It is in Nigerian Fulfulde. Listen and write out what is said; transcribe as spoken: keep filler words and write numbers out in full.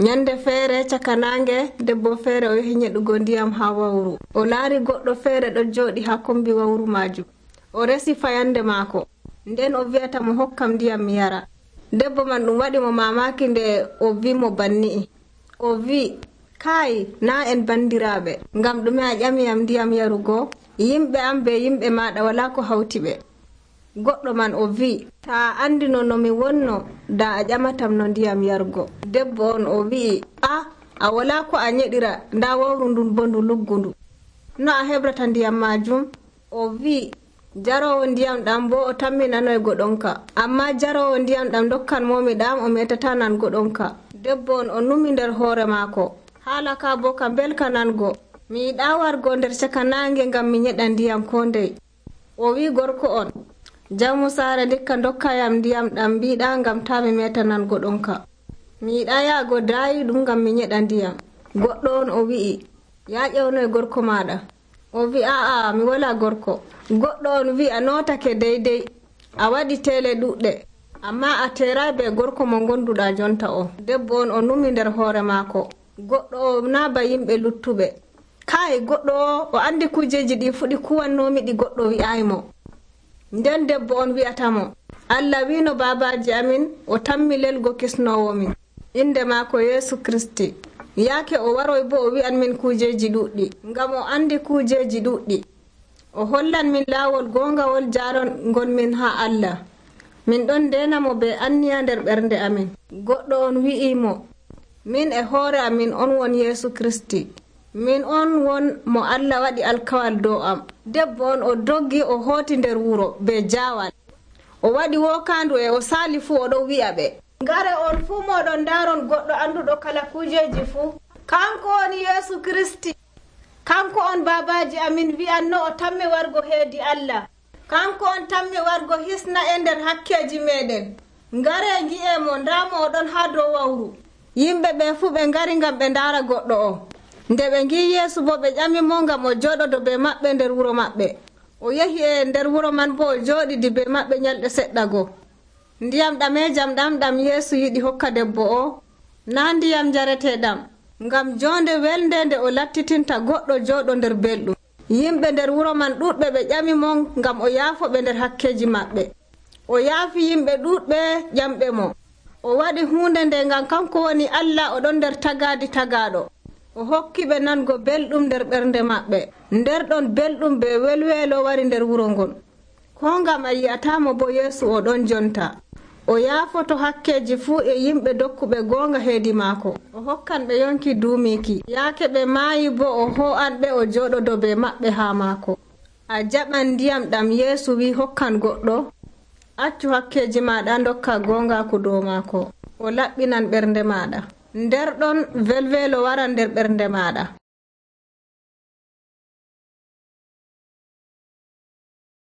Nyande feere caka nange debbo feere o yahi nyeɗugo ndiyam ha wawru. O laari goɗɗo feere ɗo jooɗi ha kombi wawru majum. O resi fayande maako. Nden o wi'ata mo hokkam ndiyam mi yara. Debbo man ɗum waɗi mo mamaki nde o wi mo banni'i. O wi kai na en bandiraɓe ngam ɗume a ƴamiyam ndiyam yarugo. Yimɓe am be yimɓe maɗa wala ko hawti ɓe. Goɗɗo man o wi ta andino no mi wonno da a ƴamatam no ndiyam yargo. Debbo on o wi a a wala ko a nyeɗira nda wawru ndun bo ndu luggundu. No a hebrata ndiyam majum? O wi jarowo ndiyam ɗam bo o tammi nanoygo ɗonka. Amma jarowo ndiyam ɗam dokkan momi ɗam o metata nango ɗonka. Debbo on o numi nder hoore maako. Haala ka bo ka belka nango. Mi yiɗa wargo nder caka nange ngam mi nyeɗa ndiyam ko ndey. O wi gorko on jawmu saare ndikka dokkayam ndiyam ɗam mbiɗa ngam ta mi meta nango ɗonka. Mi yiɗa yaago daayi ɗum ngam mi nyeɗa ndiyam. Goɗɗo on o wi'i ya ƴewnoy gorko maɗa. O wi a'a mi wala gorko. Goɗɗo on wi a notake deydey. A waɗi tele ɗuɗɗe. Amma a teray be gorko mo gonduɗa jonta o. Debbo on o numi nder hoore maako. Goɗɗo o na ba yimɓe luttuɓe. Kai goɗɗo o o andi kujeji ɗi fuɗi kuwannomi ɗi goɗɗo wi'aymo. Nden debbo on wi'ata mo Allah wino babaji amin o tammi lelgo kisnowo min. Inde maako Yesu Kristi. Yaake o waroy bo o wi'an min kujeji ɗuɗɗi. Ngam o andi kujeji ɗuɗɗi. O hollan min laawol gongawol jaron gon min ha Allah. Min ɗon ndena mo be anniya nder ɓernde amin. Goɗɗo on wi'imo min e hoore amin on won Yesu Kristi. Min on won mo Allah waɗi alkawal dow am. Debbo on o doggi o hooti nder wuro be jaawal. O waɗi wokandu e o saali fu o ɗo wi'a ɓe. Ngare on fuu moɗon ndaron goɗɗo anduɗo kala kujeji fuu. Kanko on Yesu Kristi. Kanko on babaji amin wi'anno o tammi wargo heedi Allah. Kanko on tammi wargo hisna e nder hakkeji meɗen. Ngare ngi'e mo ndamo oɗon ha dow wawru. Yimɓe ɓe fuu ɓe ngari ngam ɓe ndaara goɗɗo o. Nde ɓe ngi Yeesu bo ɓe ƴami mo ngam o jooɗodo be maɓɓe nder wuro maɓɓe. O yehi e nder wuro man bo o jooɗidi be maɓɓe nyalɗe seɗɗa go. Ndiyam ɗamejam ɗam ɗam Yeesu yiɗi hokka debbo o na ndiyam jareteɗam ngam jonde welde nde o lattitinta goɗɗo jooɗo nder belɗum. Yimɓe nder wuro man ɗuɗɓe ɓe ƴami mo ngam o yaafo ɓe nder hakkeji maɓɓe. O yaafi yimɓe ɗuɗɓe ƴamɓe mo. O waɗi hunde nde ngam kanko woni Allah o ɗon nder tagadi tagaɗo. O hokki ɓe nango belɗum nder ɓernde maɓɓe. Nder ɗon belɗum be welwelo wari nder wuro ngon. Ko ngam a yi'atamo bo Yeesu o ɗon jonta. O yaafoto hakkeji fuu e yimɓe dokkuɓe gonga heedi maako. O hokkan ɓe yonki duumiki. Yaake ɓe maayi bo o ho'an ɓe o jooɗodo be maɓɓe ha maako. A jaɓan ndiyam ɗam Yeesu wi hokkan goɗɗo. Accu hakkeji maɗa dokka gongaku dow maako. O laɓɓinan ɓernde maɗa. Nder ɗon welwelo waran nder ɓernde maɗa.